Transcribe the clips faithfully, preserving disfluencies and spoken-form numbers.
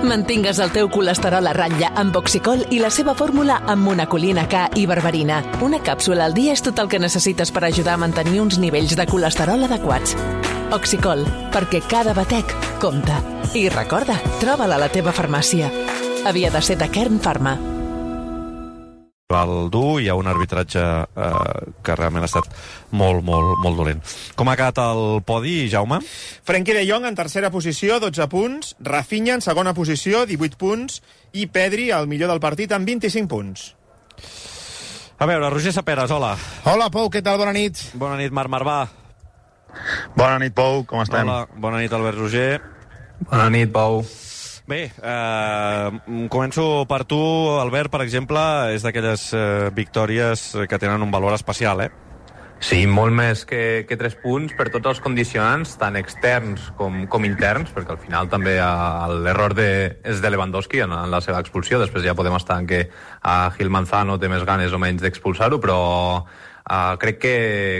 Mantingues el teu colesterol a ratlla amb Oxicol i la seva fórmula amb monacolina K i berberina. Una càpsula al dia és tot el que necessites per ajudar a mantenir uns nivells de colesterol adequats. Oxicol, perquè cada batec compta. I recorda, troba-la a la teva farmàcia. Havia de ser de Kern Pharma. El dur, hi ha un arbitratge eh, que realment ha estat molt, molt, molt dolent. Com ha quedat el podi, Jaume? Frenkie de Jong en tercera posició, dotze punts, Rafinha en segona posició, divuit punts, i Pedri, el millor del partit, amb vint-i-cinc punts. A veure, Roger Saperes, hola. Hola, Pou, què tal? Bona nit. Bona nit, Marc Marvà. Bona nit, Pou, com estem? Hola, bona nit, Albert Roger. Bona nit, Pou. Bé, eh, començo per tu, Albert, per exemple, és d'aquelles eh, victòries que tenen un valor especial, eh? Sí, molt més que, que tres punts per tots els condicionants, tant externs com, com interns, perquè al final també l'error de, és de Lewandowski en, en la seva expulsió, després ja podem estar en què a Gil Manzano té més ganes o menys d'expulsar-ho, però Uh, crec que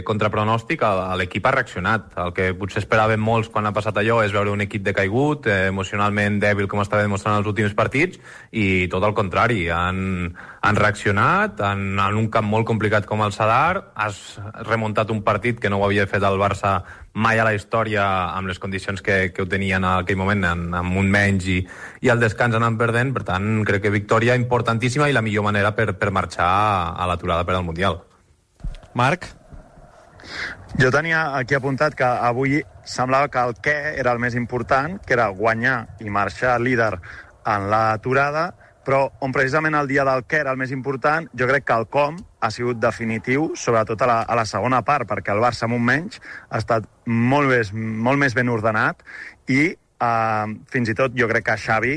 contra pronòstic l'equip ha reaccionat. El que potser esperaven molts quan ha passat allò és veure un equip decaigut, eh, emocionalment dèbil com estava demostrant els últims partits, i tot el contrari, han, han reaccionat en, en un camp molt complicat com el Sadar. Has remuntat un partit que no ho havia fet el Barça mai a la història amb les condicions que, que ho tenien en aquell moment, en, amb un menys i, i el descans anant perdent. Per tant, crec que victòria importantíssima i la millor manera per, per marxar a l'aturada per al Mundial. Marc? Jo tenia aquí apuntat que avui semblava que el què era el més important, que era guanyar i marxar líder en l'aturada, però on precisament el dia del què era el més important, jo crec que el com ha sigut definitiu, sobretot a la, a la segona part, perquè el Barça amb un menys ha estat molt més, molt més ben ordenat i Uh, fins i tot jo crec que Xavi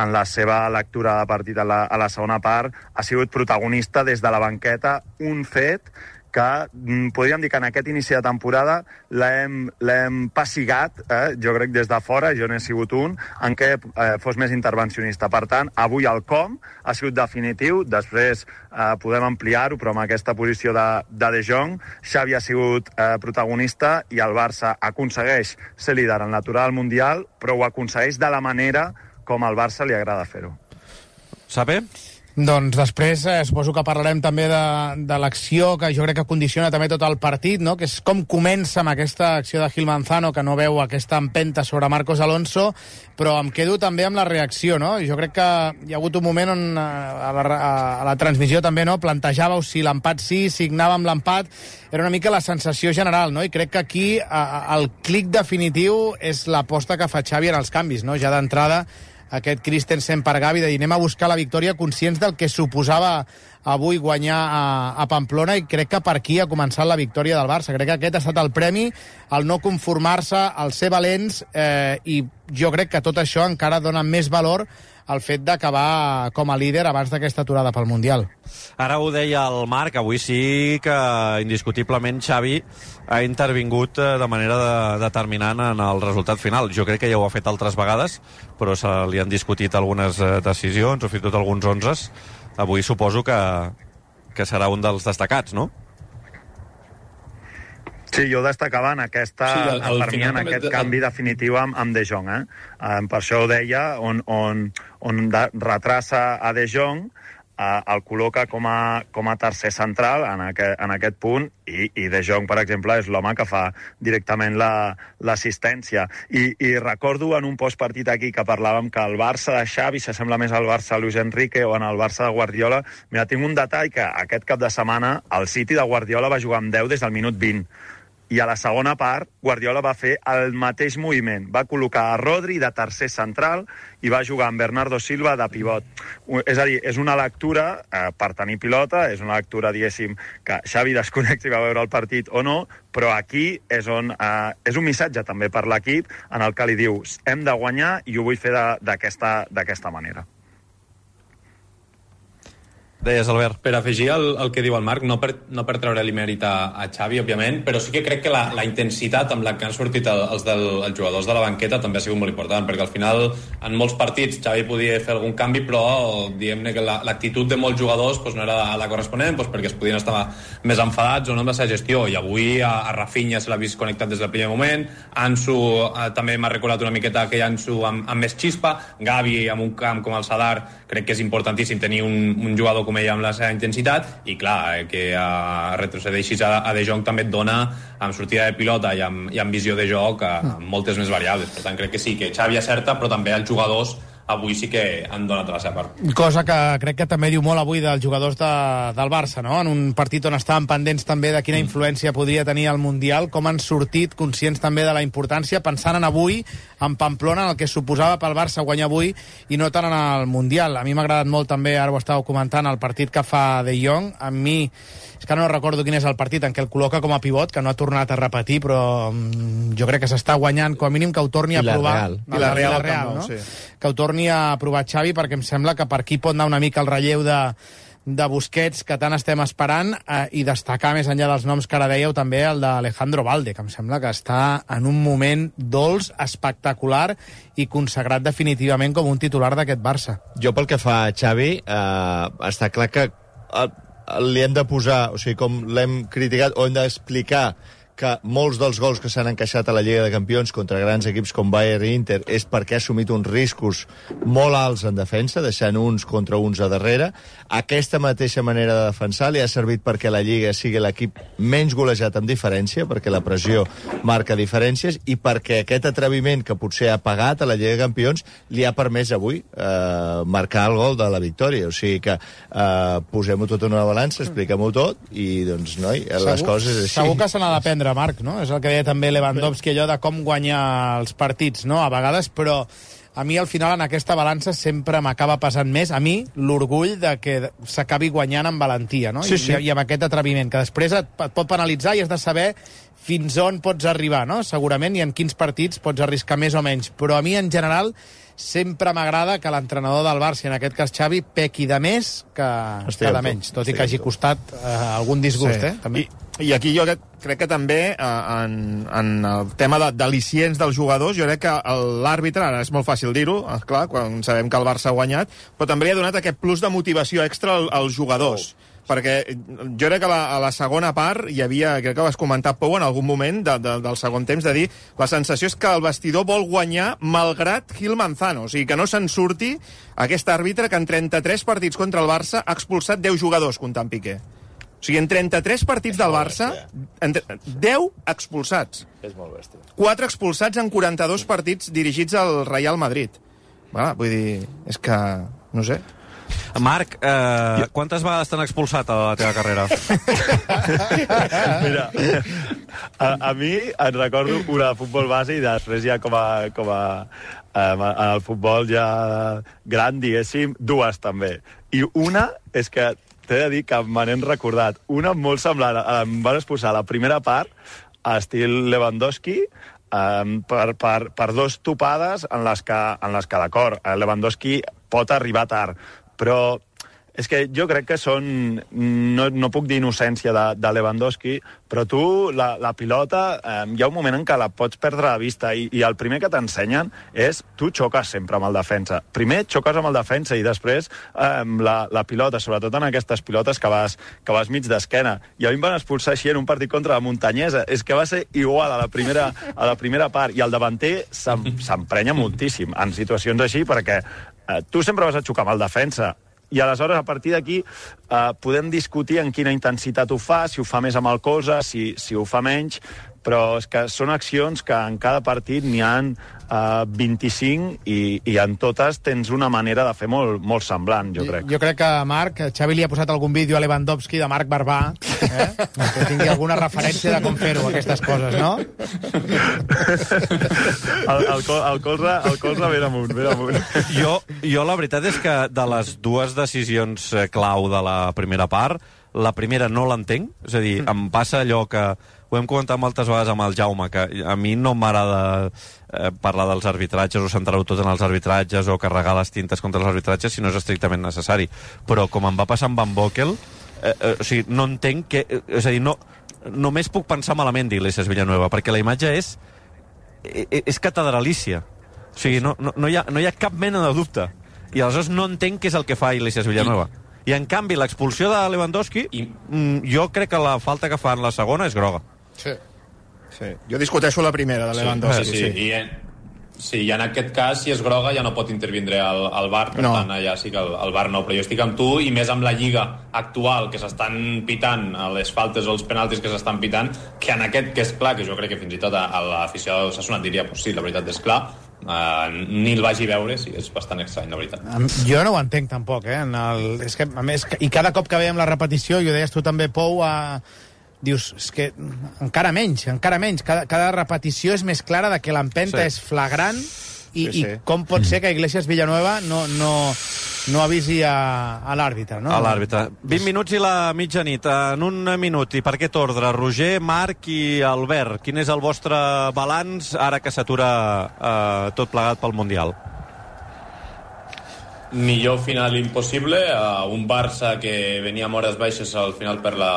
en la seva lectura de partit a la, a la segona part ha sigut protagonista des de la banqueta, un fet que mm, podríem dir que en aquest inici de temporada l'hem, l'hem passigat, eh? Jo crec des de fora, jo n'he sigut un, en què eh, fos més intervencionista. Per tant, avui el com ha sigut definitiu, després eh, podem ampliar-ho, però amb aquesta posició de De, de Jong, Xavi ha sigut eh, protagonista i el Barça aconsegueix ser líder en l'aturada del Mundial, però ho aconsegueix de la manera com al Barça li agrada fer-ho. Sabe? Doncs després eh, suposo que parlarem també de, de l'acció que jo crec que condiciona també tot el partit, no? Que és com comença amb aquesta acció de Gil Manzano, que no veu aquesta empenta sobre Marcos Alonso, però em quedo també amb la reacció, no? Jo crec que hi ha hagut un moment on a la, a la transmissió també, no? Plantejàveu si l'empat sí, signàvem l'empat, era una mica la sensació general, no? I crec que aquí a, a, el clic definitiu és l'aposta que fa Xavi en els canvis, no? Ja d'entrada aquest Christensen per Gavi, de dir anem a buscar la victòria conscients del que suposava avui guanyar a, a Pamplona, i crec que per aquí ha començat la victòria del Barça. Crec que aquest ha estat el premi, el no conformar-se, el ser valents, eh, i jo crec que tot això encara dona més valor al fet d'acabar com a líder abans d'aquesta aturada pel Mundial. Ara ho deia el Marc, avui sí que indiscutiblement Xavi ha intervingut de manera de, determinant en el resultat final. Jo crec que ja ho ha fet altres vegades, però se li han discutit algunes decisions o fins i tot alguns onzes. Avui suposo que, que serà un dels destacats, no? Sí, jo destacava en aquesta, sí, el, el per mi en aquest de... canvi definitiu amb, amb De Jong. Eh? Um, per això ho deia, on, on, on de, retrassa a De Jong, uh, el col·loca com a, com a tercer central en, aquest, en aquest punt, i, i De Jong, per exemple, és l'home que fa directament l'assistència. La, I, I recordo en un postpartit aquí que parlàvem que el Barça de Xavi s'assembla més al Barça de Luis Enrique o en el Barça de Guardiola. Mira, tinc un detall que aquest cap de setmana el City de Guardiola va jugar amb deu des del minut vint. I a la segona part, Guardiola va fer el mateix moviment. Va col·locar a Rodri de tercer central i va jugar amb Bernardo Silva de pivot. És a dir, és una lectura eh, per tenir pilota, és una lectura, diguéssim, que Xavi desconeix si va veure el partit o no, però aquí és on eh, és un missatge també per l'equip en el que li diu hem de guanyar i ho vull fer d'aquesta d'aquesta manera. Deies, Albert. Per afegir el, el que diu el Marc, no per, no per treure-li mèrit a, a Xavi, òbviament, però sí que crec que la, la intensitat amb la que han sortit el, els, del, els jugadors de la banqueta també ha sigut molt important, perquè al final, en molts partits, Xavi podia fer algun canvi, però diguem-ne que la, l'actitud de molts jugadors pues, no era la corresponent, pues, perquè es podien estar més enfadats o no amb la seva gestió, i avui a, a Rafinha se l'ha vist connectat des del primer moment, Ansu eh, també m'ha recordat una miqueta aquell Ansu amb, amb més xispa, Gavi amb un camp com el Sadar, crec que és importantíssim tenir un, un jugador com ell amb la seva intensitat, i clar, eh, que uh, retrocedeixis a, a De Jong també et dona amb sortida de pilota i amb, i amb visió de joc uh, moltes més variables. Per tant, crec que sí, que Xavi acerta, però també els jugadors avui sí que han donat la seva part. Cosa que crec que també diu molt avui dels jugadors de, del Barça, no? En un partit on estaven pendents també de quina influència podria tenir el Mundial, com han sortit conscients també de la importància, pensant en avui, en Pamplona, en el que suposava pel Barça guanyar avui i no tant en el Mundial. A mi m'ha agradat molt també, ara ho estàveu comentant, el partit que fa De Jong. A mi, és que no recordo quin és el partit en què el col·loca com a pivot, que no ha tornat a repetir, però mm, jo crec que s'està guanyant, com a mínim que ho torni a provar. I la Real, la Real, no? Sí. Que ho torni a provar Xavi, perquè em sembla que per aquí pot anar una mica el relleu de, de Busquets, que tant estem esperant, eh, i destacar, més enllà dels noms que ara dèieu, també el d'Alejandro Balde, que em sembla que està en un moment dolç, espectacular i consagrat definitivament com un titular d'aquest Barça. Jo, pel que fa a Xavi, eh, està clar que eh, li hem de posar, o sigui, com l'hem criticat, o hem d'explicar que molts dels gols que s'han encaixat a la Lliga de Campions contra grans equips com Bayern i Inter és perquè ha assumit uns riscos molt alts en defensa, deixant uns contra uns a darrere. Aquesta mateixa manera de defensar li ha servit perquè la Lliga sigui l'equip menys golejat amb diferència, perquè la pressió marca diferències, i perquè aquest atreviment que potser ha pagat a la Lliga de Campions li ha permès avui eh, marcar el gol de la victòria. O sigui que eh, posem-ho tot en una balança, expliquem-ho tot, i doncs, noi, les segur, coses és així. Segur que se n'ha d'aprendre, Marc, no? És el que deia també Lewandowski, allò de com guanyar els partits, no?, a vegades, però a mi al final en aquesta balança sempre m'acaba passant més, a mi, l'orgull de que s'acabi guanyant amb valentia, no? Sí, sí. I, i amb aquest atreviment, que després et, et pot penalitzar i has de saber fins on pots arribar, no? Segurament, i en quins partits pots arriscar més o menys. Però a mi, en general, sempre m'agrada que l'entrenador del Barça, en aquest cas Xavi, pequi de més que, que de menys, tot i que hagi costat eh, algun disgust, sí. eh? També. I, I aquí jo crec que també eh, en, en el tema de, d'al·licients dels jugadors, jo crec que l'àrbitre, ara és molt fàcil dir-ho, clar, quan sabem que el Barça ha guanyat, però també li ha donat aquest plus de motivació extra als, als jugadors. Oh. Perquè jo crec que a la, a la segona part hi havia, crec que vas comentar, Pou, en algun moment de, de, del segon temps, de dir la sensació és que el vestidor vol guanyar malgrat Gil Manzano, o sigui, que no se'n surti aquest àrbitre que en trenta-tres partits contra el Barça ha expulsat deu jugadors, comptant Piqué. O sigui, en trenta-tres partits del Barça, en deu expulsats. És molt bèstia. quatre expulsats en quaranta-dos partits dirigits al Real Madrid. Va, vull dir, és que, no sé... Marc, eh, quantes vegades t'han expulsat a la teva carrera? Mira, a, a mi em recordo una de futbol base i després ja com a, com a um, al futbol ja gran, diguéssim, dues també. I una és que t'he de dir que me n'hem recordat. Una molt semblant, em van expulsar la primera part, a estil Lewandowski, um, per, per, per dos topades en les que, en les que d'acord, Lewandowski pot arribar tard, però és que jo crec que són... No, no puc dir innocència de, de Lewandowski, però tu, la, la pilota, eh, hi ha un moment en què la pots perdre de vista i, i el primer que t'ensenyen és tu xoques sempre amb el defensa. Primer xoques amb el defensa i després eh, la, la pilota, sobretot en aquestes pilotes que vas, que vas mig d'esquena. I a mi em van expulsar així en un partit contra la Muntanyesa. És que va ser igual a la primera, a la primera part. I el davanter s'emprenya moltíssim en situacions així perquè eh, tu sempre vas a xocar amb el defensa. I aleshores, a partir d'aquí, eh, podem discutir en quina intensitat ho fa, si ho fa més amb el colze, si, si ho fa menys, però és que són accions que en cada partit n'hi ha uh, vint-i-cinc i, i en totes tens una manera de fer molt, molt semblant, jo crec. Jo crec que, Marc, Xavi li ha posat algun vídeo a Lewandowski de Marc Barbà, eh? que tingui alguna referència de com fer-ho, aquestes coses, no? El, el, col, el, colze, el colze ben amunt, ben amunt. Jo, jo la veritat és que de les dues decisions clau de la primera part, la primera no l'entenc, és a dir, em passa allò que ho hem comentat moltes vegades amb el Jaume, que a mi no m'agrada eh, parlar dels arbitratges o centrar-ho tot en els arbitratges o carregar les tintes contra els arbitratges si no és estrictament necessari. Però com em va passar amb Van Boekel, eh, eh, o sigui, no entenc que... Eh, és a dir, no, només puc pensar malament d'Iglesias Villanueva, perquè la imatge és, és, és catedralícia. O sigui, no, no, no, hi ha, no hi ha cap mena de dubte. I aleshores no entenc què és el que fa Iglesias Villanueva. I... I, en canvi, l'expulsió de Lewandowski, I... jo crec que la falta que fa en la segona és groga. Sí. sí. Jo discuteixo la primera, de Lewandowski. Sí, sí, sí. I, en, sí, i en aquest cas, si és groga, ja no pot intervindre el, el V A R, per no. tant, allà sí que el, el V A R no, però jo estic amb tu, i més amb la lliga actual, que s'estan pitant a les faltes o els penaltis que s'estan pitant, que en aquest, que és clar, que jo crec que fins i tot a, a l'afició de Osasuna diria, pues sí, la veritat és clar, Uh, ni el vagi a veure, sí, és bastant estrany, la veritat. Jo no ho entenc tampoc, eh? En el, és que, a més, i cada cop que veiem la repetició, i ho deies tu també, Pou, uh, dius, és que encara menys, encara menys, cada, cada repetició és més clara de que l'empenta sí. és flagrant, i, sí, sí. i com pot ser que Iglesias Villanueva no, no, no avisi a, a l'àrbitre, no? A l'àrbitre. vint minuts i la mitjanit. En un minut, i per aquest ordre? Roger, Marc i Albert, quin és el vostre balanç ara que s'atura eh, tot plegat pel Mundial? Millor final impossible, uh, un Barça que venia amb hores baixes al final per la,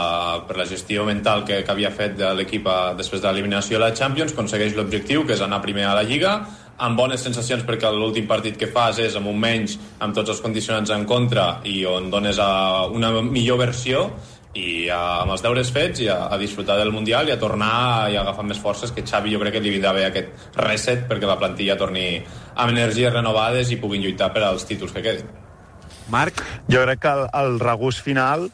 per la gestió mental que, que havia fet de l'equip després de l'eliminació a la Champions, aconsegueix l'objectiu, que és anar primer a la Lliga, amb bones sensacions perquè l'últim partit que fas és amb un menys, amb tots els condicionants en contra i on dones a una millor versió i a, amb els deures fets i a, a disfrutar del Mundial i a tornar i a agafar més forces, que Xavi jo crec que li vindrà bé aquest reset perquè la plantilla torni amb energies renovades i puguin lluitar per als títols que quedin. Marc? Jo crec que el, el regust final,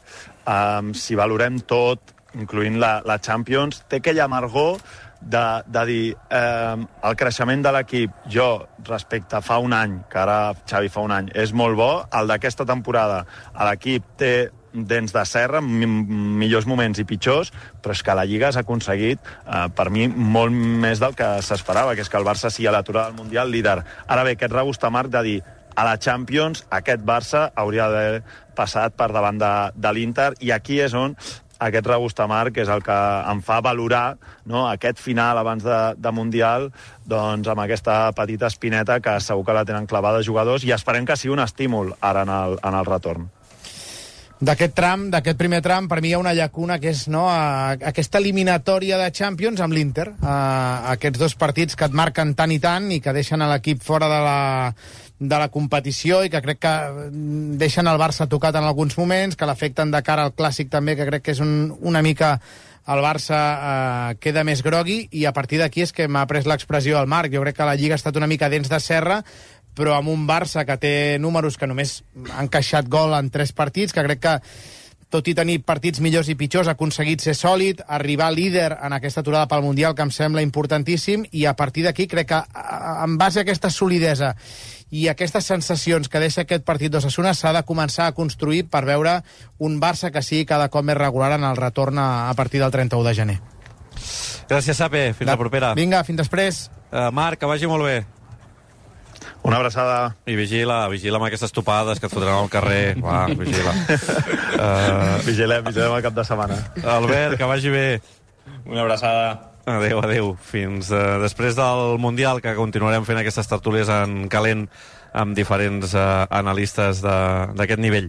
um, si valorem tot, incloent la, la Champions, té aquella amargor de, de dir eh, el creixement de l'equip, jo respecte a fa un any, que ara Xavi fa un any, és molt bo, el d'aquesta temporada l'equip té dents de serra, millors moments i pitjors, però és que la Lliga s'ha aconseguit, eh, per mi, molt més del que s'esperava, que és que el Barça sigui a l'aturada del Mundial líder. Ara bé, aquest regust amarg de dir a la Champions aquest Barça hauria d'haver passat per davant de, de l'Inter, i aquí és on aquest regust amarg és el que em fa valorar, no, aquest final abans de, de Mundial, doncs amb aquesta petita espineta que segur que la tenen clavada jugadors, i esperem que sigui un estímul ara en el, en el retorn. D'aquest tram, d'aquest primer tram, per mi hi ha una llacuna que és, no, a, aquesta eliminatòria de Champions amb l'Inter. A, aquests dos partits que et marquen tant i tant i que deixen a l'equip fora de la, de la competició i que crec que deixen el Barça tocat en alguns moments, que l'afecten de cara al Clàssic també, que crec que és un, una mica... el Barça eh, queda més grogui, i a partir d'aquí és que m'ha pres l'expressió al Marc. Jo crec que la Lliga ha estat una mica dents de serra, però amb un Barça que té números que només han encaixat gol en tres partits, que crec que, tot i tenir partits millors i pitjors, ha aconseguit ser sòlid, arribar líder en aquesta aturada pel Mundial, que em sembla importantíssim, i a partir d'aquí crec que, en base a aquesta solidesa i aquestes sensacions que deixa aquest partit d'Osasuna, s'ha de començar a construir per veure un Barça que sigui cada cop més regular en el retorn a, a partir del trenta-u de gener. Gràcies, Sape. Fins la propera. Vinga, fins després. Uh, Marc, que vagi molt bé. Una abraçada. I vigila, vigila amb aquestes topades que et fotran al carrer. Va, vigila. Uh... Vigilem, vigilem el cap de setmana. Albert, que vagi bé. Una abraçada. Adéu, adéu. Fins uh, després del Mundial, que continuarem fent aquestes tertúlies en calent amb diferents uh, analistes d'aquest nivell.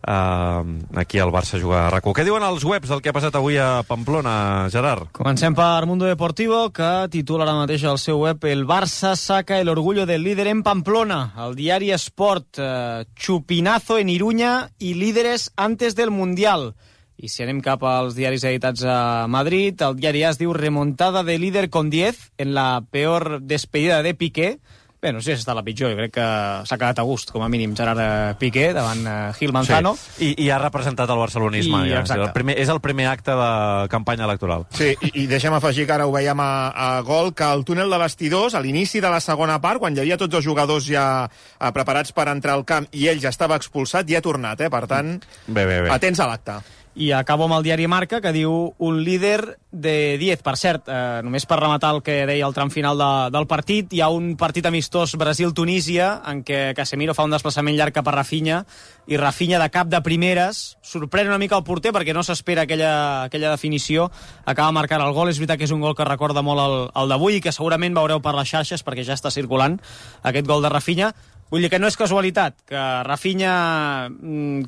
Uh, aquí al Barça juga a RAC1. Què diuen els webs del que ha passat avui a Pamplona, Gerard? Comencem per Mundo Deportivo, que titula ara mateix al seu web: el Barça saca el orgullo del líder en Pamplona. El diari Sport, uh, chupinazo en Iruña y líderes antes del Mundial. I si anem cap als diaris editats a Madrid, el diari A es diu remontada de líder con diez en la peor despedida de Piqué. Bé, no sé si ha estat la pitjor, jo crec que s'ha quedat a gust, com a mínim, Gerard Piqué, davant uh, Gil Manzano. Sí. I, I ha representat el barcelonisme. I, ja. El primer, és el primer acte de campanya electoral. Sí, i, i deixa'm afegir que ara ho veiem a, a Gol, que el túnel de vestidors, a l'inici de la segona part, quan hi havia tots els jugadors ja uh, preparats per entrar al camp i ell ja estava expulsat, ja ha tornat, eh? Per tant, bé, bé, bé. atents a l'acte. I acabo amb el diari Marca, que diu un líder de diez. Per cert, eh, només per rematar el que deia el tram final de, del partit, hi ha un partit amistós Brasil-Tunísia en què Casemiro fa un desplaçament llarg cap a Rafinha i Rafinha de cap de primeres sorprèn una mica el porter perquè no s'espera aquella, aquella definició, acaba marcant el gol. És veritat que és un gol que recorda molt el, el d'avui i que segurament veureu per les xarxes perquè ja està circulant aquest gol de Rafinha. Vull dir que no és casualitat, que Rafinha,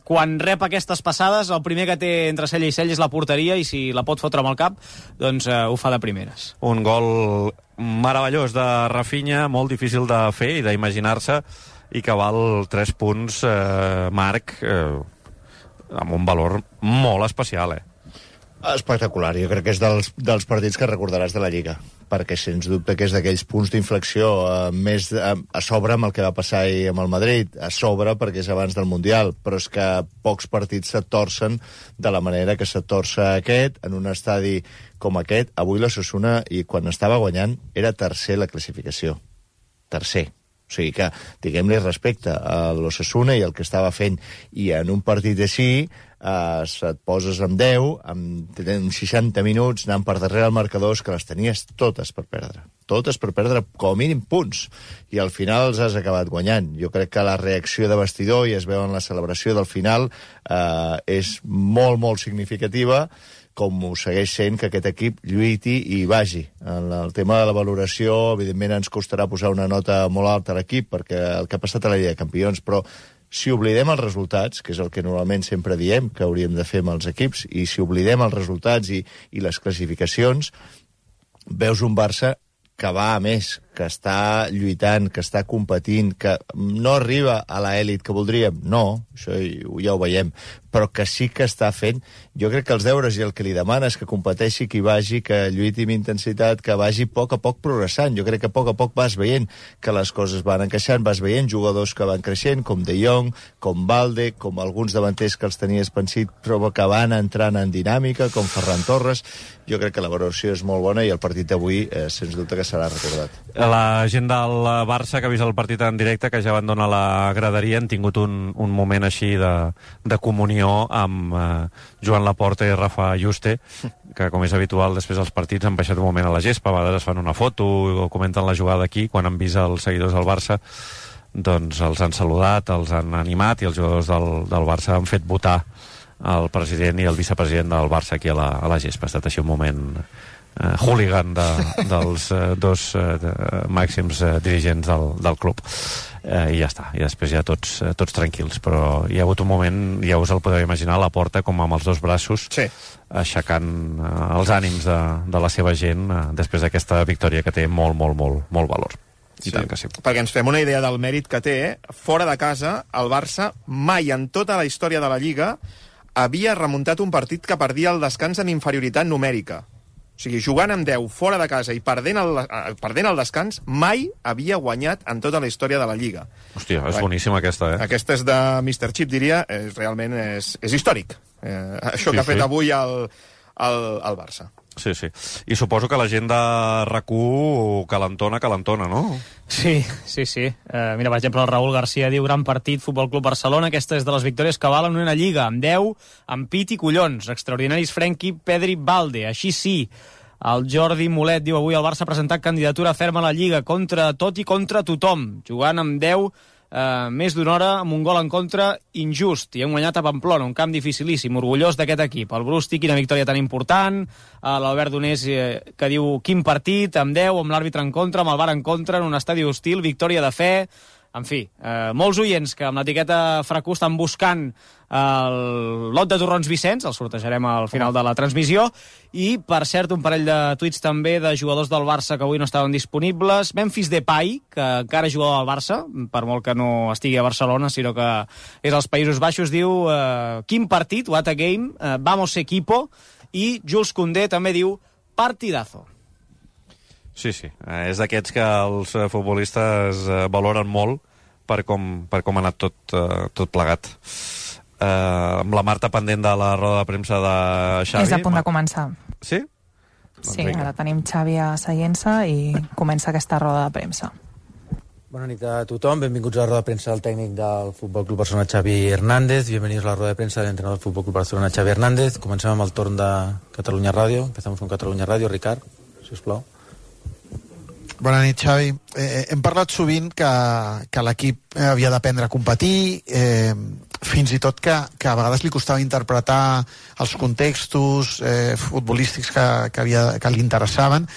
quan rep aquestes passades, el primer que té entre cella i cella és la porteria i si la pot fotre amb el cap, doncs eh, ho fa de primeres. Un gol meravellós de Rafinha, molt difícil de fer i d'imaginar-se, i que val tres punts, eh, Marc, eh, amb un valor molt especial, eh? Espectacular, jo crec que és dels, dels partits que recordaràs de la Lliga, perquè sens dubte que és d'aquells punts d'inflexió eh, més a, a sobre amb el que va passar ahir amb el Madrid, a sobre perquè és abans del Mundial, però és que pocs partits se torcen de la manera que se torça aquest, en un estadi com aquest. Avui l'Osasuna, i quan estava guanyant, era tercer la classificació. Tercer. O sigui que, diguem-li respecte a l'Osasuna i el que estava fent, i en un partit així eh, et poses amb deu, amb seixanta minuts, anant per darrere el marcador, que les tenies totes per perdre. Totes per perdre com a mínim punts. I al final els has acabat guanyant. Jo crec que la reacció de vestidor, i es veu en la celebració del final, eh, és molt, molt significativa, com ho segueix sent que aquest equip lluiti i vagi. En el tema de la valoració, evidentment ens costarà posar una nota molt alta a l'equip, perquè el que ha passat a la Lliga de Campions, però si oblidem els resultats, que és el que normalment sempre diem que hauríem de fer amb els equips, i si oblidem els resultats i, i les classificacions, veus un Barça que va a més, que està lluitant, que està competint, que no arriba a l'elit que voldríem, no, això ja ho veiem, però que sí que està fent. Jo crec que els deures i el que li demana és que competeixi, que hi vagi, que lluiti amb intensitat, que vagi a poc a poc progressant. Jo crec que a poc a poc vas veient que les coses van encaixant, vas veient jugadors que van creixent, com De Jong, com Balde, com alguns davanters que els tenies pensit, però que van entrant en dinàmica, com Ferran Torres. Jo crec que la valoració és molt bona i el partit d'avui, eh, sens dubte, que serà recordat. La gent del Barça que ha vist el partit en directe, que ja abandona la graderia, han tingut un, un moment així de, de comunió amb eh, Joan Laporta i Rafa Juste, que com és habitual després dels partits han baixat un moment a la gespa, a vegades es fan una foto o comenten la jugada aquí, quan han vist els seguidors del Barça doncs els han saludat, els han animat i els jugadors del, del Barça han fet votar el president i el vicepresident del Barça aquí a la, a la gespa. Ha estat així un moment Uh, hooligan de, dels uh, dos uh, de, uh, màxims uh, dirigents del, del club uh, i ja està, i després ja tots, uh, tots tranquils, però hi ha hagut un moment, ja us el podeu imaginar, a la porta com amb els dos braços sí. aixecant uh, els ànims de, de la seva gent uh, després d'aquesta victòria que té molt, molt, molt, molt valor. I sí, tant que sí. Perquè ens fem una idea del mèrit que té, fora de casa el Barça mai en tota la història de la Lliga havia remuntat un partit que perdia el descans en inferioritat numèrica. O sigui, jugant amb deu fora de casa i perdent el, perdent el descans, mai havia guanyat en tota la història de la Lliga. Hòstia, és boníssima aquesta, eh? Aquesta és de mister Chip, diria, és, realment és, és històric. Eh, això sí, que ha fet sí. avui el, el, el Barça. Sí, sí. I suposo que la gent de RAC u calentona, calentona, no? Sí, sí, sí. Uh, mira, per exemple, el Raúl García diu gran partit, Futbol Club Barcelona, aquesta és de les victòries que valen una lliga, amb deu, amb pit i collons, extraordinaris Frenkie, Pedri, Balde, així sí. El Jordi Molet diu avui el Barça ha presentat candidatura ferma a la Lliga contra tot i contra tothom, jugant amb deu Uh, més d'una hora amb un gol en contra injust, i hem guanyat a Pamplona, un camp dificilíssim, orgullós d'aquest equip. El Brusti, quina victòria tan important, uh, l'Albert Donés eh, que diu quin partit, amb deu, amb l'àrbitre en contra, amb el V A R en contra, en un estadi hostil, victòria de fe. En fi, eh, molts oients que amb l'etiqueta Fracú estan buscant el lot de torrons Vicenç, el sortejarem al final de la transmissió, i, per cert, un parell de tuits també de jugadors del Barça que avui no estaven disponibles. Memphis Depay, que encara jugador del Barça, per molt que no estigui a Barcelona, sinó que és als Països Baixos, diu eh, quin partit, what a game, eh, vamos equipo, i Jules Koundé també diu partidazo. Sí, sí. Eh, és d'aquests que els eh, futbolistes eh, valoren molt per com, per com ha anat tot, eh, tot plegat. Eh, amb la Marta pendent de la roda de premsa de Xavi. És a punt de començar. Sí? Sí, doncs ara tenim Xavi asseient-se i comença aquesta roda de premsa. Bona nit a tothom, benvinguts a la roda de premsa del tècnic del Futbol Club Barcelona, Xavi Hernández. Bienvenidos a la rueda de prensa del entrenador del Futbol Club Barcelona, Xavi Hernández. Comencem amb el torn de Catalunya Ràdio. Empezamos con Catalunya Ràdio. Ricard, si us plau. Bona nit, Xavi. Eh, hem parlat sovint que, que l'equip havia d'aprendre a competir, eh, fins i tot que, que a vegades li costava interpretar els contextos eh, futbolístics que, que, havia, que li interessaven.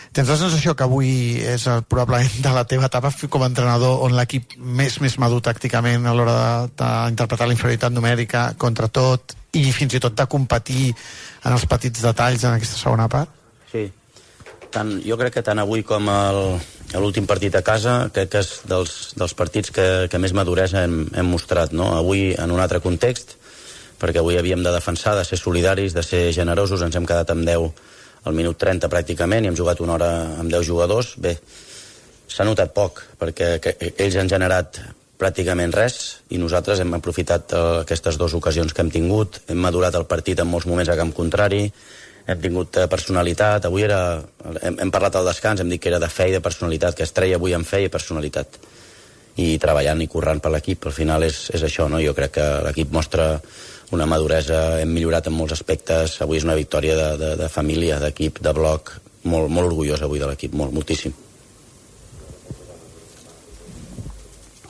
Tens la sensació que avui és el, probablement de la teva etapa com a entrenador on l'equip més més madur tàcticament a l'hora d'interpretar la inferioritat numèrica contra tot i fins i tot de competir en els petits detalls en aquesta segona part? Sí, tant, jo crec que tant avui com l'últim partit a casa crec que és dels, dels partits que, que més maduresa hem, hem mostrat, no? Avui en un altre context, perquè avui havíem de defensar, de ser solidaris, de ser generosos, ens hem quedat amb deu al minut trenta pràcticament i hem jugat una hora amb deu jugadors. Bé, s'ha notat poc perquè ells han generat pràcticament res i nosaltres hem aprofitat aquestes dues ocasions que hem tingut, hem madurat el partit en molts moments a camp contrari, hem tingut personalitat. Avui era, hem, hem parlat al descans, hem dit que era de fe i de personalitat, que es treia avui amb fe i personalitat i treballant i currant per l'equip. Al final és, és això, no? Jo crec que l'equip mostra una maduresa, hem millorat en molts aspectes. Avui és una victòria de, de, de família, d'equip, de bloc, molt, molt orgullós avui de l'equip, molt, moltíssim.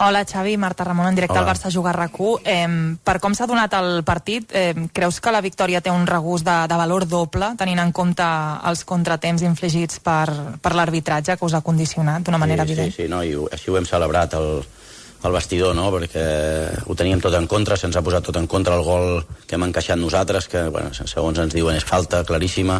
Hola, Xavi, Marta Ramon, en directe Hola. al Barça Juga R A Q. Eh, per com s'ha donat el partit, eh, creus que la victòria té un regust de, de valor doble, tenint en compte els contratemps infligits per, per l'arbitratge que us ha condicionat d'una manera sí, evident? Sí, sí, no, i ho, així ho hem celebrat al, al vestidor, no? Perquè ho teníem tot en contra, se'ns ha posat tot en contra el gol que hem encaixat nosaltres, que bueno, segons ens diuen és falta claríssima,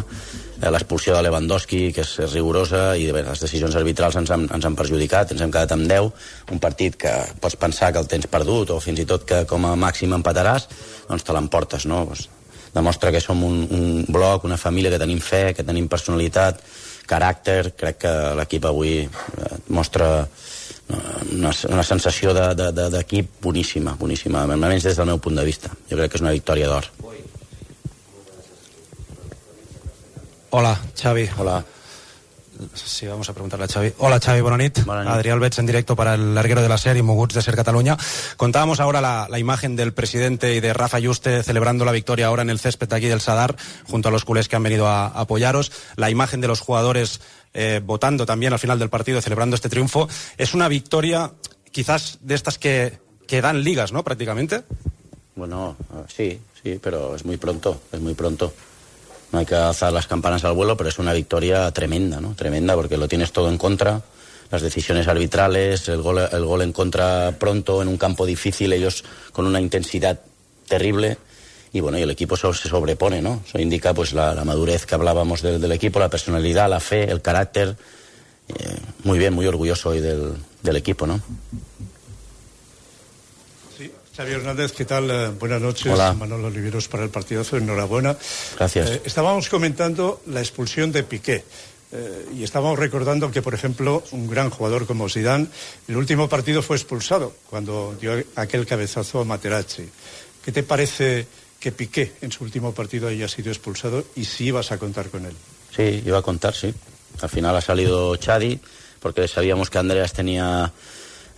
eh, l'expulsió de Lewandowski, que és, és rigorosa, i bé, les decisions arbitrals ens han, ens han perjudicat, ens hem quedat amb deu, un partit que pots pensar que el tens perdut, o fins i tot que com a màxim empataràs, doncs te l'emportes, no? Pues, demostra que som un, un bloc, una família, que tenim fe, que tenim personalitat, caràcter. Crec que l'equip avui eh, mostra una, una sensació d'equip de, de, de, boníssima, boníssima, almenys des del meu punt de vista. Jo crec que és una victòria d'or. Hola, Xavi. Hola. Sí, vamos a preguntarle a Xavi. Hola, Xavi, buena nit. Buena nit. Adrián Albets en directo para el larguero de la serie, Moguts de Ser Cataluña. Contábamos ahora la, la imagen del presidente y de Rafa Yuste celebrando la victoria ahora en el césped aquí del Sadar, junto a los culés que han venido a, a apoyaros. La imagen de los jugadores eh, votando también al final del partido, celebrando este triunfo. Es una victoria quizás de estas que, que dan ligas, ¿no? Prácticamente. Bueno, sí, sí, pero es muy pronto, es muy pronto. No hay que alzar las campanas al vuelo, pero es una victoria tremenda, ¿no? Tremenda, porque lo tienes todo en contra. Las decisiones arbitrales, el gol, el gol en contra pronto, en un campo difícil, ellos con una intensidad terrible. Y bueno, y el equipo se sobrepone, ¿no? Eso indica pues la, la madurez que hablábamos del, del equipo, la personalidad, la fe, el carácter. Eh, muy bien, muy orgulloso hoy del, del equipo, ¿no? Sí, Xavi Hernández, ¿qué tal? Eh, buenas noches. Hola. Manolo Oliveros para el partidazo, enhorabuena. Gracias. Eh, estábamos comentando la expulsión de Piqué. Eh, y estábamos recordando que, por ejemplo, un gran jugador como Zidane, el último partido fue expulsado cuando dio aquel cabezazo a Materazzi. ¿Qué te parece que Piqué en su último partido haya sido expulsado y si ibas a contar con él? Sí, iba a contar, sí. Al final ha salido Chadi, porque sabíamos que Andreas tenía,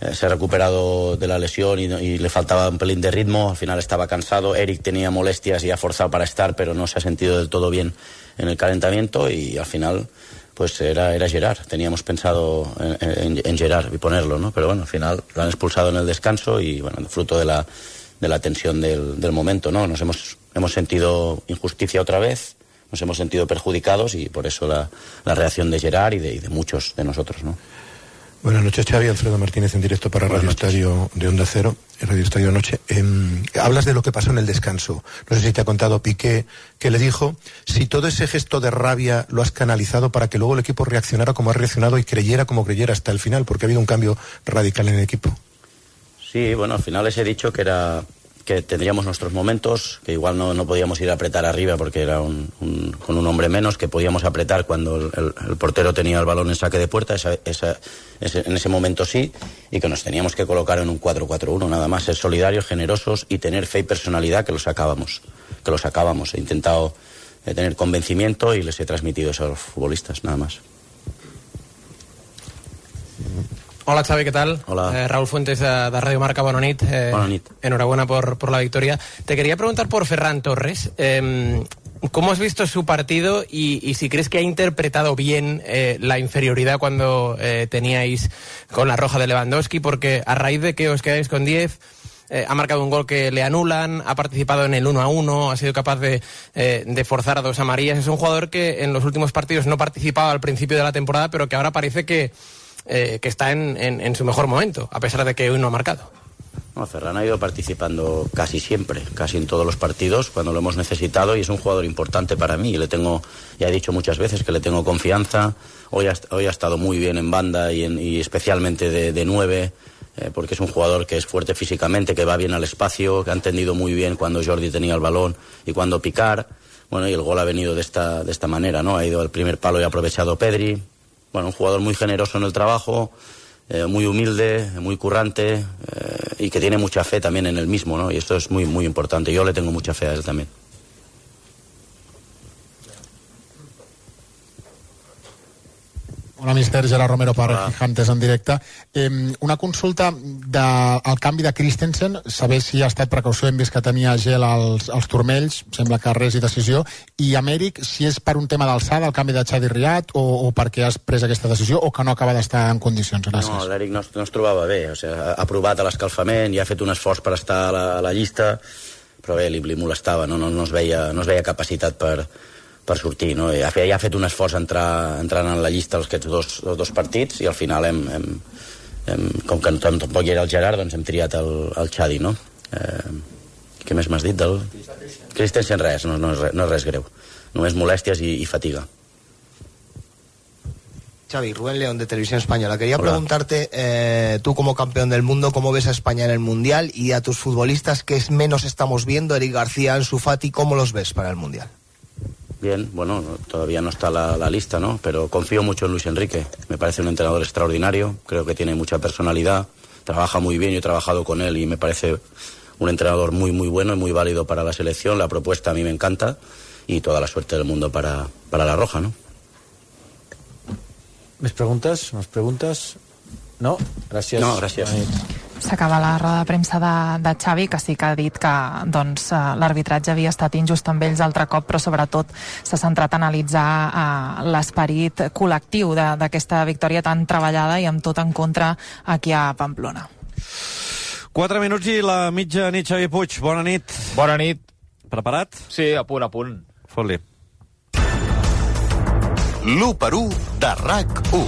eh, se ha recuperado de la lesión y, y le faltaba un pelín de ritmo. Al final estaba cansado. Eric tenía molestias y ha forzado para estar, pero no se ha sentido del todo bien en el calentamiento y al final pues era, era Gerard. Teníamos pensado en, en, en Gerard y ponerlo, ¿no? Pero bueno, al final lo han expulsado en el descanso y bueno, fruto de la de la tensión del, del momento, ¿no? Nos hemos, hemos sentido injusticia otra vez, nos hemos sentido perjudicados y por eso la, la reacción de Gerard y de, y de muchos de nosotros, ¿no? Buenas noches, Xavi. Alfredo Martínez en directo para Radio Estadio de Onda Cero, Radio Estadio Noche. Eh, hablas de lo que pasó en el descanso. No sé si te ha contado Piqué que le dijo si todo ese gesto de rabia lo has canalizado para que luego el equipo reaccionara como ha reaccionado y creyera como creyera hasta el final, porque ha habido un cambio radical en el equipo. Sí, bueno, al final les he dicho que era que tendríamos nuestros momentos, que igual no, no podíamos ir a apretar arriba porque era un, un, con un hombre menos, que podíamos apretar cuando el, el, el portero tenía el balón en saque de puerta, esa, esa, ese, en ese momento sí, y que nos teníamos que colocar en un cuatro cuatro uno, nada más, ser solidarios, generosos y tener fe y personalidad, que lo sacábamos, que lo sacábamos. He intentado eh, tener convencimiento y les he transmitido eso a los futbolistas, nada más. Hola Xavi, ¿qué tal? Hola. Eh, Raúl Fuentes de, de Radio Marca, buena nit. Eh, buena nit. Enhorabuena por, por la victoria. Te quería preguntar por Ferran Torres. Eh, ¿Cómo has visto su partido y, y si crees que ha interpretado bien eh, la inferioridad cuando eh, teníais con la roja de Lewandowski? Porque a raíz de que os quedáis con diez... Eh, ha marcado un gol que le anulan, ha participado en el uno a uno, ha sido capaz de, eh, de forzar a dos amarillas. Es un jugador que en los últimos partidos no participaba al principio de la temporada, pero que ahora parece que, eh, que está en, en, en su mejor momento, a pesar de que hoy no ha marcado. No, Ferran ha ido participando casi siempre, casi en todos los partidos, cuando lo hemos necesitado, y es un jugador importante para mí. Le tengo, ya he dicho muchas veces que le tengo confianza. Hoy ha, hoy ha estado muy bien en banda y, en, y especialmente de, de nueve. Eh, porque es un jugador que es fuerte físicamente, que va bien al espacio, que ha entendido muy bien cuando Jordi tenía el balón y cuando picar. Bueno, y el gol ha venido de esta, de esta manera, ¿no? Ha ido al primer palo y ha aprovechado Pedri. Bueno, un jugador muy generoso en el trabajo, eh, muy humilde, muy currante, eh, y que tiene mucha fe también en él mismo, ¿no? Y esto es muy, muy importante. Yo le tengo mucha fe a él también. Hola, mister Gerard Romero per Gigantes en directe. Eh, una consulta del de, canvi de Christensen, saber si ha estat precaució, hem vist que tenia gel als, als turmells, sembla que res i decisió, i Amèric, si és per un tema d'alçada, el canvi de Xavi Riat, o, o perquè has pres aquesta decisió, o que no acaba d'estar en condicions? Gràcies. No, l'Eric no, no es trobava bé, o sigui, ha, ha provat a l'escalfament i ha fet un esforç per estar a la, a la llista, però bé, li, li molestava, no, no, no, es veia, no es veia capacitat per... per sortir, no? Ja, ja ha fet un esforç entrar, entrant en la llista aquests dos, els dos partits i al final hem, hem, hem, com que tampoc hi era el Gerard, doncs hem triat el, el Xadi, no? Eh, què més m'has dit del... Christensen, res, no, no, és res, no és res greu, només molèsties i, i fatiga. Xavi, Rubén León de Televisión Española. Quería Hola. preguntarte, eh, tú como campeón del mundo, ¿cómo ves a España en el Mundial? Y a tus futbolistas, ¿qué menos estamos viendo? Eric García, Ansu Fati, ¿cómo los ves para el Mundial? Bien, bueno, todavía no está la, la lista, ¿no? Pero confío mucho en Luis Enrique. Me parece un entrenador extraordinario, creo que tiene mucha personalidad, trabaja muy bien, yo he trabajado con él y me parece un entrenador muy, muy bueno y muy válido para la selección. La propuesta a mí me encanta y toda la suerte del mundo para, para la Roja, ¿no? ¿Més preguntes? ¿Més preguntes? No? Gràcies. No, gràcies. S'acaba la roda de premsa de, de Xavi, que sí que ha dit que doncs, l'arbitratge havia estat injust amb ells altre cop, però sobretot s'ha centrat a analitzar eh, l'esperit col·lectiu d'aquesta victòria tan treballada i amb tot en contra aquí a Pamplona. Quatre minuts i la mitja nit, Xavi Puig. Bona nit. Bona nit. Preparat? Sí, a punt, a punt. Fot-li. l'u per u de R A C u.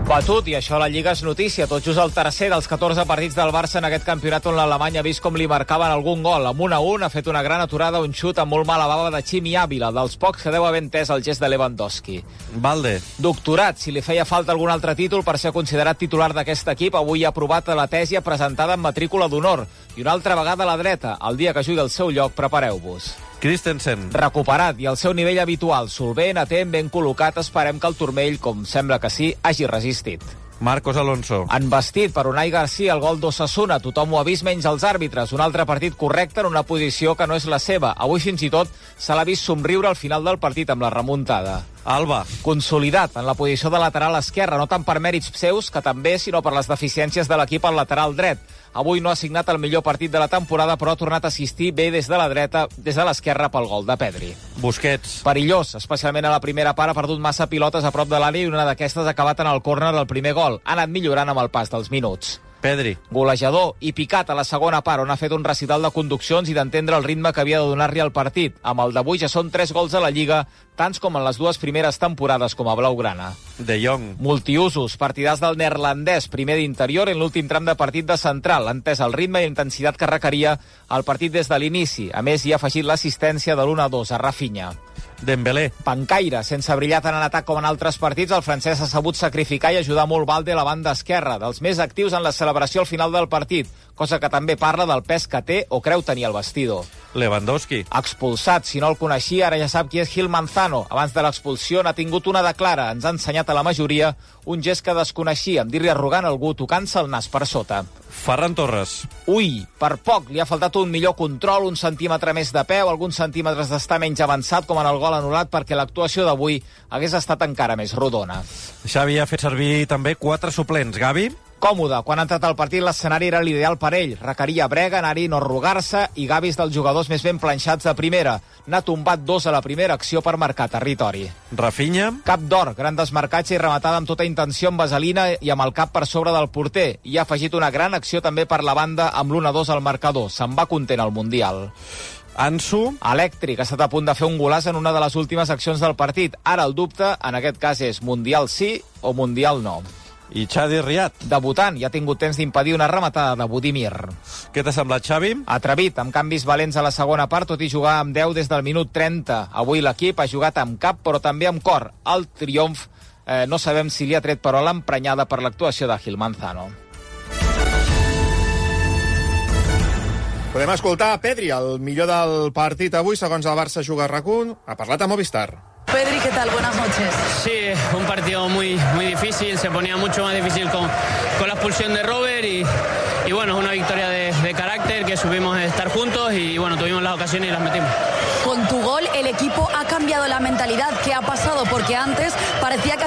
Batut, i això a la Lliga és notícia. Tot just el tercer dels catorze partits del Barça en aquest campionat on l'Alemany ha vist com li marcaven algun gol. Amb un a un ha fet una gran aturada, un xut amb molt mala bava de Ximi Ávila, dels pocs que deu haver entès el gest de Lewandowski. Valde. Doctorat, si li feia falta algun altre títol per ser considerat titular d'aquest equip, avui ha aprovat la tesi presentada en matrícula d'honor. I una altra vegada a la dreta. El dia que jugui al seu lloc, prepareu-vos. Christensen. Recuperat i al seu nivell habitual, solvent, atent, ben col·locat, esperem que el turmell, com sembla que sí, hagi resistit. Marcos Alonso. Envestit per Unai Garcia el gol d'Osasuna. Tothom ho ha vist menys els àrbitres. Un altre partit correcte en una posició que no és la seva. Avui fins i tot se l'ha vist somriure al final del partit amb la remuntada. Alba. Consolidat en la posició de lateral esquerre, no tant per mèrits seus, que també, sinó per les deficiències de l'equip al lateral dret. Avui no ha signat el millor partit de la temporada, però ha tornat a assistir bé des de la dreta, des de l'esquerra pel gol de Pedri. Busquets. Perillós, especialment a la primera part, ha perdut massa pilotes a prop de l'àrea i una d'aquestes ha acabat en el córner del primer gol. Ha anat millorant amb el pas dels minuts. Pedri. Golejador i picat a la segona part, on ha fet un recital de conduccions i d'entendre el ritme que havia de donar-li al partit. Amb el d'avui ja són tres gols a la Lliga, tants com en les dues primeres temporades com a blaugrana. De Jong. Multiusos, partidars del neerlandès, primer d'interior en l'últim tram de partit de central, entès el ritme i intensitat que requeria el partit des de l'inici. A més, hi ha afegit l'assistència de l'u a dos a Rafinha. Dembélé. Pancaire, sense brillar tant en atac com en altres partits, el francès ha sabut sacrificar i ajudar molt Valde a la banda esquerra, dels més actius en la celebració al final del partit, cosa que també parla del pes que té o creu tenir el vestidor. Lewandowski. Expulsat, si no el coneixia, ara ja sap qui és Gil Manzano. Abans de l'expulsió n'ha tingut una de clara. Ens ha ensenyat a la majoria un gest que desconeixia, amb dir-li arrogant a algú tocant-se el nas per sota. Ferran Torres. Ui, per poc, li ha faltat un millor control, un centímetre més de peu, alguns centímetres d'estar menys avançat, com en el gol anul·lat, perquè l'actuació d'avui hagués estat encara més rodona. Xavi ha fet servir també quatre suplents. Gavi? Còmode. Quan ha entrat al partit l'escenari era l'ideal per ell. Requeria brega, anar-hi, no arrugar-se, i Gavi és dels jugadors més ben planxats de primera. N'ha tombat dos a la primera acció per marcar territori. Rafinha? Cap d'or, gran desmarcatge i rematada amb tota intenció amb vaselina i amb el cap per sobre del porter. I ha afegit una gran acció també per la banda amb l'u a dos al marcador. Se'n va content al Mundial. Ansu? Elèctric, ha estat a punt de fer un golaç en una de les últimes accions del partit. Ara el dubte, en aquest cas, és Mundial sí o Mundial no. I Xavi Riat? Debutant, i ha tingut temps d'impedir una rematada de Budimir. Què t'ha semblat, Xavi? Atrevit, amb canvis valents a la segona part, tot i jugar amb deu des del minut trenta. Avui l'equip ha jugat amb cap, però també amb cor. El triomf, eh, no sabem si li ha tret però l'emprenyada per l'actuació de Gil Manzano. Podem escoltar a Pedri, el millor del partit avui, segons el Barça juga a RAC u. Ha parlat a Movistar. Pedri, ¿qué tal? Buenas noches. Sí, un partido muy, muy difícil, se ponía mucho más difícil con, con la expulsión de Robert y, y bueno, es una victoria de, de carácter, que supimos estar juntos y bueno, tuvimos las ocasiones y las metimos. Con tu gol el equipo ha cambiado la mentalidad. ¿Qué ha pasado? Porque antes parecía que